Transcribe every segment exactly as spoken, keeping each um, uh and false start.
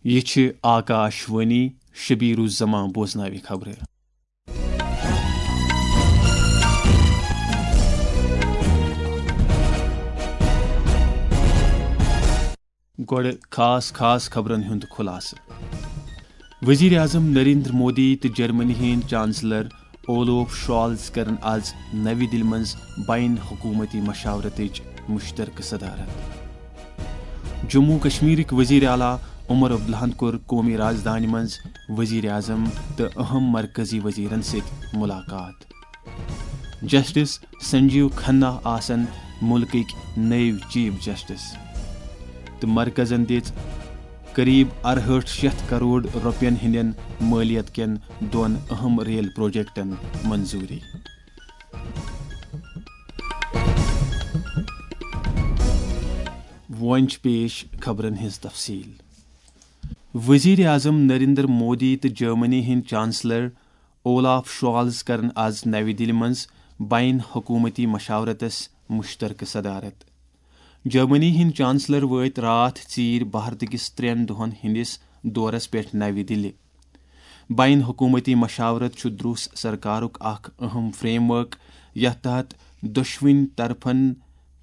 یہِ چھِ آکاش وانی، شبیر الزمان بوزناوِ خبرٕ۔ گۄڈٕ خاص خاص خبرن ہُنٛد خُلاصہٕ۔ وزیر اعظم نریندر مودی تہٕ جرمنی ہٕنٛدۍ چانسلر اولوف شالز کرن آز نوِ دِلہِ منٛز بین حکومتی مشاورتٕچ مشترکہٕ صدارت۔ جموں کشمیرٕکۍ وزیر اعلیٰ عمر عبداللہن کوٚر قومی رازدانہِ منٛز وزیر اعظم تہٕ اہم مرکزی وزیرن سۭتۍ ملاقات۔ جسٹس سنجیو کھنہ آسن ملکٕکۍ نٔوۍ چیف جسٹس، تہٕ مرکزن دِژ قریب ارہٲٹھ شیتھ کرور رۄپین ہٕنٛدٮ۪ن مٲلیت کٮ۪ن دۄن اہم ریل پروجیکٹن منظوٗری۔ وۄنۍ چھِ پیش خبرن ہٕنٛز تفصیٖل۔ وزیر اعظم نریندر مودی تہٕ جرمنی ہٕنٛدۍ چانسلر اولاف شالز کرن آز نوِ دِلہِ منٛز بین حکومتی مشاورتس مشترکہٕ صدارت۔ جرمنی ہٕنٛدۍ چانسلر وٲتۍ راتھ ژیٖرۍ بھارت کِس ترٛٮ۪ن دۄہن ہٕنٛدِس دورس پٮ۪ٹھ نوِ دِلہِ۔ بین حکومتی مشاورت چھُ دروس سرکارُک اکھ اہم فریم ورک، یتھ تحت دۄشوٕنۍ طرفن،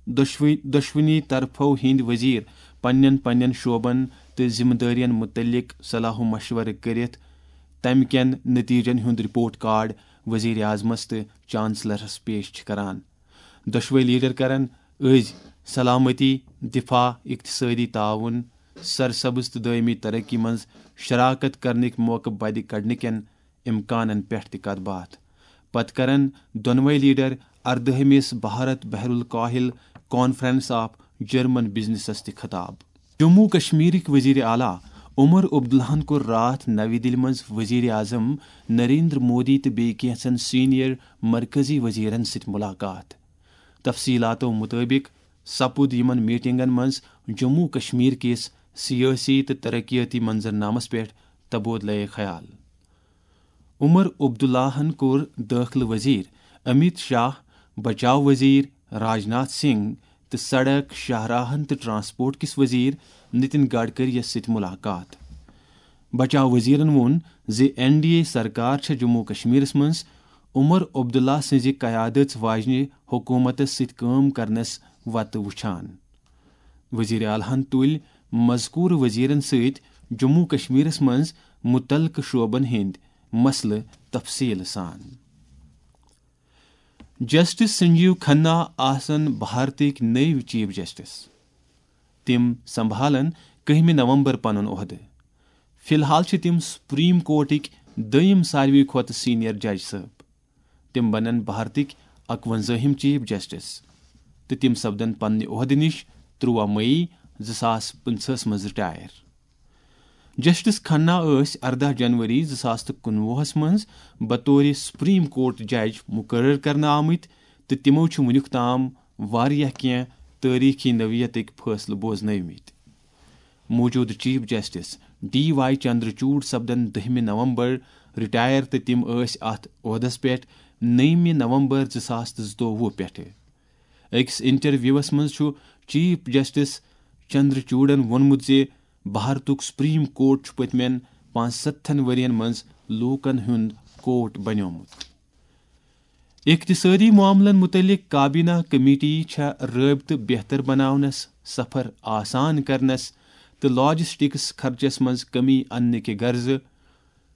دۄشوٕنۍ، دۄشوٕنی طرفو ہٕنٛدۍ وزیر پننٮ۪ن پننٮ۪ن شعبن تہٕ ذمہ دٲرین متعلق صلاح و مشورٕ کٔرِتھ تمہِ کٮ۪ن نتیجن ہُنٛد رپورٹ کارڈ وزیر اعظمس تہٕ چانسلرس پیش چھِ کران۔ دۄشوے لیڈر کرن أزۍ سلامتی، دفاع، اقتصٲدی تعاون، سرسبز تہٕ دٲیمی ترقی منٛز شراکت کرنٕکۍ موقعہٕ بدِ کڑنہٕ کٮ۪ن امکانن پٮ۪ٹھ تہِ کتھ باتھ۔ پتہٕ کرن دۄنوے لیڈر اردٲہمِس بھارت بحر الکاہل کانفرنس آف جرمن بزنسس تہِ خطاب۔ جموں کشمیرٕکۍ وزیر اعلیٰ عمر عبداللہن کوٚر راتھ نوِ دِلہِ منٛز وزیر اعظم نریندر مودی تہٕ بیٚیہِ کینٛژن سینئر مرکزی وزیرن سۭتۍ ملاقات۔ تفصیلاتو مطٲبق سپُد یِمن میٹنگن منٛز جموں کشمیر کِس سیٲسی تہٕ ترقیٲتی منظرنامس پٮ۪ٹھ تبادلہٕ خیال۔ عمر عبداللہن کوٚر دٲخلہٕ وزیر امیت شاہ، بچاو وزیر راجناتھ سنگھ تہٕ سڑک، شاہراہن تہٕ ٹرانسپورٹ کِس وزیر نتن گڈکری یَس سۭتۍ ملاقات۔ بچاو وزیرن ووٚن زِ این ڈی اے سرکار چھےٚ جموں کشمیرس منٛز عمر عبداللہ سٕنٛزِ قیادت واجنہِ حکومتس سۭتۍ کٲم کرنس وتہٕ وُچھان۔ وزیر اعلیٰ ہن تُلۍ مذکورٕ وزیرن سۭتۍ جموں کشمیرس منٛز متعلقہٕ شعبن ہٕنٛدۍ مسلہٕ تفصیل سان۔ جسٹس سنجیو کھنہ آسن بھارتٕکۍ نٔوۍ چیف جسٹس۔ تِم سنبھالن کٔہمہِ نومبر پنُن عہدٕ۔ فی الحال چھِ تِم سپریم کورٹٕکۍ دوٚیِم ساروی کھۄتہٕ سینئر جج صٲب۔ تِم بنن بھارتٕکۍ اکوَنزٲہِم چیف جسٹس تہٕ تِم سپدن پننہِ عہدٕ نِش تُرٛواہ مئی زٕ ساس پٕنٛژٕہس منٛز رٹائر۔ جسٹس کھنہ ٲسۍ ارداہ جنوری زٕ ساس تہٕ کُنوُہس منٛز بطور سپریم کورٹ جج مقرر کرنہٕ آمٕتۍ تہٕ تِمو چھِ وُنیُک تام واریاہ کینٛہہ تٲریخی نوعیتٕکۍ فٲصلہٕ بوزنٲومٕتۍ۔ موجودٕ چیف جسٹس ڈی وائی چندرچوڈ سپدن دٔہمہِ نومبر رٹائر تہٕ تِم ٲسۍ اتھ عہدس پٮ۪ٹھ نٔومہِ نومبر زٕ ساس تہٕ زٕتووُہ پٮ۪ٹھٕ۔ أکِس انٹرویوس منٛز چھُ چیف جسٹس چندرچوڈن ووٚنمُت زِ بھارتُک سپریم کورٹ چھُ پٔتمٮ۪ن پانٛژستتھن ؤرین منٛز لوٗکن ہُنٛد کورٹ بنیومُت۔ اقتصٲدی معاملن متعلق کابینہ کمیٹی چھےٚ رٲبطہٕ بہتر بناونس، سفر آسان کرنس تہٕ لاجسٹکس خرچس منٛز کمی اننہٕ کہِ غرضہٕ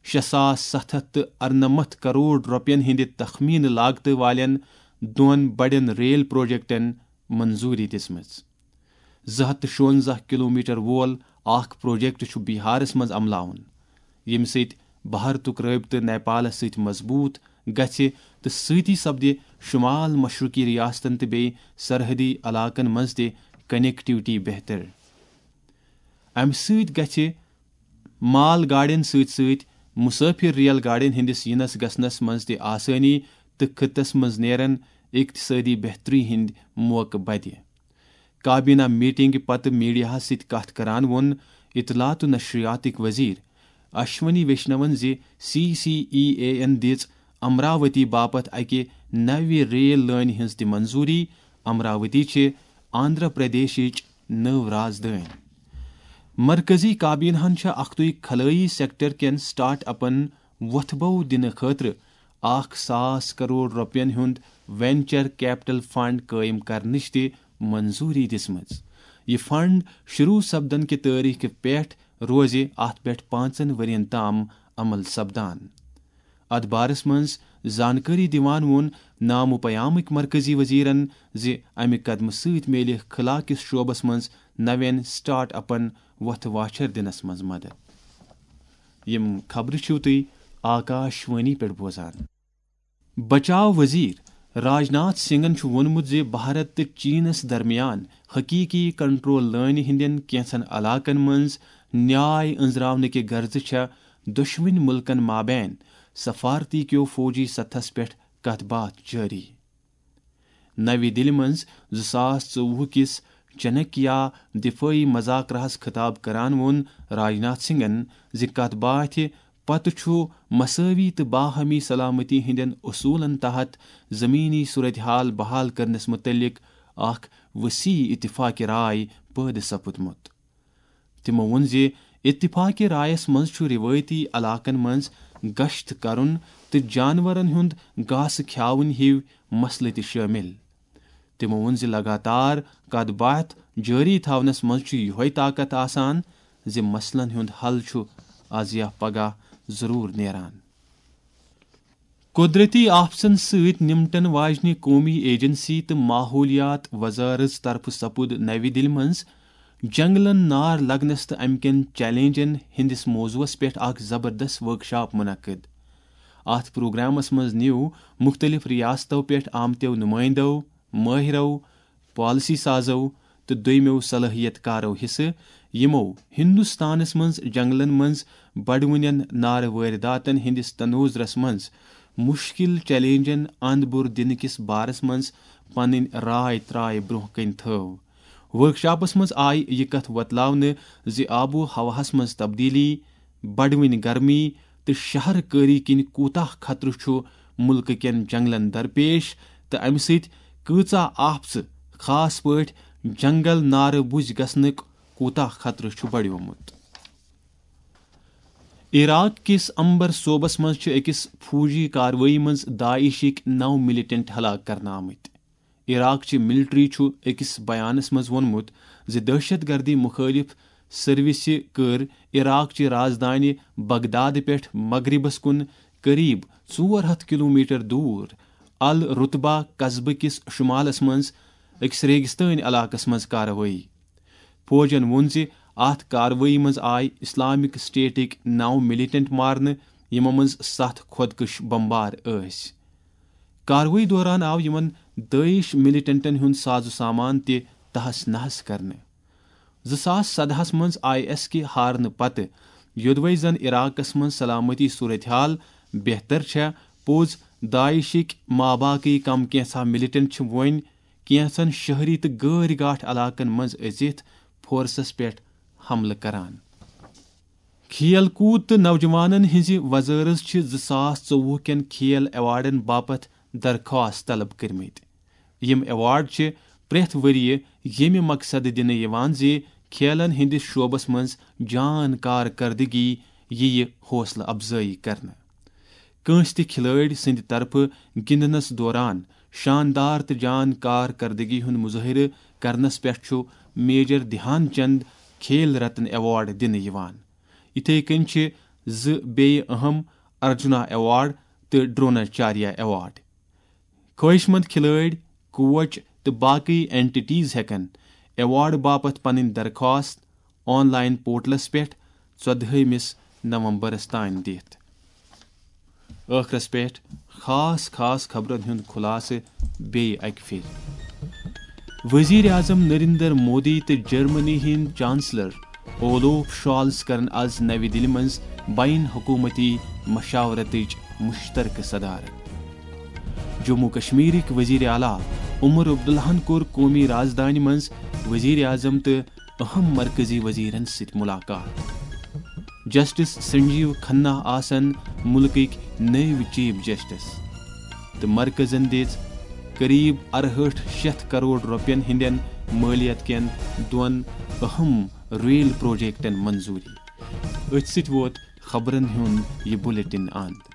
شےٚ ساس ستھ ہتھ تہٕ ارنمتھ کرور رۄپین ہٕنٛدِ تخمینہٕ لاگتہٕ والٮ۪ن دۄن بڑٮ۪ن ریل پروجیکٹن منظوری دِژمٕژ۔ زٕ ہتھ تہٕ شُونزہ کلومیٹر وول اکھ پروجیکٹ چھُ بہارس منٛز عملاوُن، ییٚمہِ سۭتۍ بھارتُک رٲبطہٕ نیپالس سۭتۍ مضبوٗط گژھِ تہٕ سۭتی سپدِ شمال مشرقی ریاستن تہٕ بیٚیہِ سرحدی علاقن منٛز تہِ کنیکٹیویٹی بہتر۔ امہِ سۭتۍ گژھِ مال گاڑٮ۪ن سۭتۍ سۭتۍ مسافر ریل گاڑٮ۪ن ہٕنٛدِس یِنس گژھنس منٛز تہِ آسٲنی تہٕ خطس منٛز نیرن اقتصٲدی بہتری ہٕنٛدۍ موقعہٕ بدِ۔ کابینہ میٹنگہِ پتہٕ میڈیاہَس سۭتۍ کتھ کران ووٚن اطلاعات و نشریاتٕکۍ وزیر اشونی ویشنون زِ سی سی ای اے یَن دِژ امراوتی باپتھ اکہِ نوِ ریل لٲنہِ ہٕنٛز تہِ منظوری۔ امراوتی چھِ آندھرا پردیشٕچ نٔو رازدٲنۍ۔ مرکزی کابینہن چھےٚ اکھتُے خلٲیی سیکٹر کٮ۪ن سٹارٹ اپن وۄتھٕ بو دِنہٕ خٲطرٕ اکھ ساس کرور رۄپین ہُنٛد وینچر کیپٹل فنڈ قٲیِم کرنٕچ تہِ منظوٗری دِژمٕژ۔ یہِ فنڈ شروع سپدن کہِ تٲریخہٕ پٮ۪ٹھ روزِ اتھ پٮ۪ٹھ پانٛژن ؤرین تام عمل سپدان۔ اتھ بارس منٛز زانکٲری دِوان ووٚن نامہ پیامٕکۍ مرکزی وزیرن زِ امہِ قدمہٕ سۭتۍ میلہِ خلا کِس شعبس منٛز نوٮ۪ن سٹارٹ اپن وۄتھٕ واچھر دِنس منٛز مدد۔ یِم خبرٕ چھِو تُہۍ آکاش وانی پٮ۪ٹھ بوزان۔ بچاو وزیر راجناتھ سنگھن چھُ ووٚنمُت زِ بھارت تہٕ چینس درمیان حقیقی کنٹرول لٲنہِ ہٕنٛدٮ۪ن کینٛژن علاقن منٛز نیاے أنٛزراونہٕ کہِ غرضہٕ چھےٚ دۄشوٕنۍ مُلکن مابین سفارتی کیو فوجی سطحس پٮ۪ٹھ کتھ باتھ جٲری۔ نَوِ دِلہِ منٛز زٕ ساس ژوٚوُہ کِس چنکیا دفٲعی مذاکرہس خطاب کران ووٚن راجناتھ سنگھن زِ کتھ باتھِ پتہٕ چھُ مساوی تہٕ باہمی سلامتی ہٕنٛدٮ۪ن اصوٗلن تحت زمینی صورتحال بحال کرنس متعلق اکھ وسیع اتفاق رائے پٲدٕ سپُدمُت۔ تِمو ووٚن زِ اتفاق رائس منٛز چھُ روایتی علاقن منٛز گشت کرُن تہٕ جانورن ہُنٛد گاسہٕ کھیاوٕنۍ ہِوۍ مسلہٕ تہِ شٲمِل۔ تِمو ووٚن زِ لگاتار کتھ باتھ جٲری تھاونس منٛز چھُ یِہوٚے طاقت آسان زِ مسلن ہُنٛد حل چھُ از یا پگاہ ضروٗر نیران۔ قدرتی آفژن سۭتۍ نمٹن واجنہِ قومی ایجنسی تہٕ ماحولیات وزارت طرفہٕ سپُد نَوِ دِلہِ منٛز جنگلن نار لگنس تہٕ امہِ کٮ۪ن چیلنجن ہٕنٛدِس موضوعس پٮ۪ٹھ اکھ زبردست ورکشاپ منعقد۔ اتھ پروگرامس منٛز نیوٗ مُختٔلِف ریاستو پٮ۪ٹھ آمتیو نُمٲیندو، مٲہرو، پالیسی سازو تہٕ دوٚیمٮ۪و صلٲحیت کارو حصہٕ، یِمو ہندوستانس منٛز جنگلن منٛز بڑوٕنٮ۪ن نارٕ وٲرِداتن ہٕنٛدِس تنوظرس منٛز مُشکِل چیلنجن اند بُر دِنہٕ کِس بارس منٛز پنٕنۍ راے ترٛاے برٛونٛہہ کنہِ تھٲو۔ ورکشاپس منٛز آیہِ یہِ کتھ وۄتلاونہٕ زِ آب و ہوہس منٛز تبدیلی، بڑوٕنۍ گرمی تہٕ شہر کٲری کِنۍ کوٗتاہ خطرٕ چھُ مُلکہٕ کٮ۪ن جنگلن درپیش تہٕ امہِ سۭتۍ کۭژاہ آفژٕ، خاص پٲٹھۍ جنگل نارٕ بُج گژھنُک کوٗتاہ خطرٕ چھُ بڑیومُت۔ عراق کِس امبر صوبس منٛز چھِ أکِس فوجی کاروٲیی منٛز داعشٕکۍ نَو مِلٹنٹ ہلاک کرنہٕ آمٕتۍ۔ عراق چہِ ملٹری چھُ أکِس بیانس منٛز ووٚنمُت زِ دہشت گردی مُخٲلِف سروسہِ کٔر عراق چہِ رازدانہِ بغداد پٮ۪ٹھ مغربس کُن قریب ژور ہتھ کلومیٹر دور الرتبہ قصبہٕ کِس شمالس منٛز أکِس ریگستٲنۍ علاقس منٛز کاروٲیی۔ فوجن ووٚن زِ اتھ کاروٲیی منٛز آیہِ اسلامک سٹیٹٕکۍ نَو مِلٹنٹ مارنہٕ، یِمو منٛز ستھ خودکش بمبار ٲسۍ۔ کاروٲیی دوران آو یِمن دٲعش مِلٹنٹن ہُنٛد ساز و سامان تہِ تہس نہس کرنہٕ۔ زٕ ساس سدہس منٛز آئی ایس کہِ ہارنہٕ پتہٕ، یوٚدوے زن عراقس منٛز سلامتی صورتحال بہتر چھےٚ، پوٚز داعشٕکۍ ماباقی کم کینٛژھا مِلٹنٹ چھِ وۄنۍ کینٛژن شہری تہٕ غٲرۍ گاٹھ علاقن منٛز أژِتھ فورسس پٮ۪ٹھ حملہٕ کران۔ کھیل کوٗد تہٕ نوجوانن ہٕنٛزِ وزارت چھِ زٕ ساس ژوٚوُہ کٮ۪ن کھیل ایوارڈن باپتھ درخواست طلب کٔرمٕتۍ۔ یِم ایوارڈ چھِ پرٛٮ۪تھ ؤرۍ یہِ ییٚمہِ مقصدٕ دِنہٕ یِوان زِ کھیلن ہٕنٛدِس شعبس منٛز جان کارکردگی یِیہِ حوصلہٕ افزٲیی کرنہٕ۔ کٲنٛسہِ تہِ کھلٲڑۍ سٕنٛدِ طرفہٕ گِنٛدنس دوران شاندار تہٕ جان کارکردگی ہُنٛد مظٲہرٕ کرنس پٮ۪ٹھ چھُ میجر دھیان چند کھیل رتن ایوارڈ دِنہٕ یِوان۔ یِتھے کٔنۍ چھِ زٕ بیٚیہِ اہم ارجنا ایوارڈ تہٕ ڈروناچاریہ ایوارڈ۔ خٲہِش مند کھلٲڑۍ، کوچ تہٕ باقٕے اینٹیٹیز ہٮ۪کن ایوارڈ باپتھ پنٕنۍ درخواست آن لائن پورٹلس پٮ۪ٹھ ژۄدہٲیمِس نومبرس تام دِتھ۔ ٲخرس پٮ۪ٹھ خاص خاص خبرن ہُنٛد خلاصہٕ بیٚیہِ اکہِ پھِرِ۔ وزیر اعظم نریندر مودی تہٕ جرمنی ہٕنٛدۍ چانسلر اولوف شالز کرن از نَوِ دِلہِ منٛز بین حکومتی مشاورتٕچ مشترکہٕ صدارت۔ جموں کشمیرٕکۍ وزیر اعلیٰ عمر عبداللہن کوٚر قومی رازدانہِ منٛز وزیر اعظم تہٕ اہم مرکزی وزیرن سۭتۍ ملاقات۔ جسٹس سنجیو کھنہ آسن ملکٕکۍ نٔوۍ چیف جسٹس تہٕ مرکزن دِژ قریب ارہٲٹھ شیتھ کرور رۄپین ہٕنٛدٮ۪ن مٲلیت کٮ۪ن دۄن اہم ریل پروجیکٹن منظوری۔ أتھۍ سۭتۍ ووت خبرن ہُنٛد یہِ بلیٹن اند۔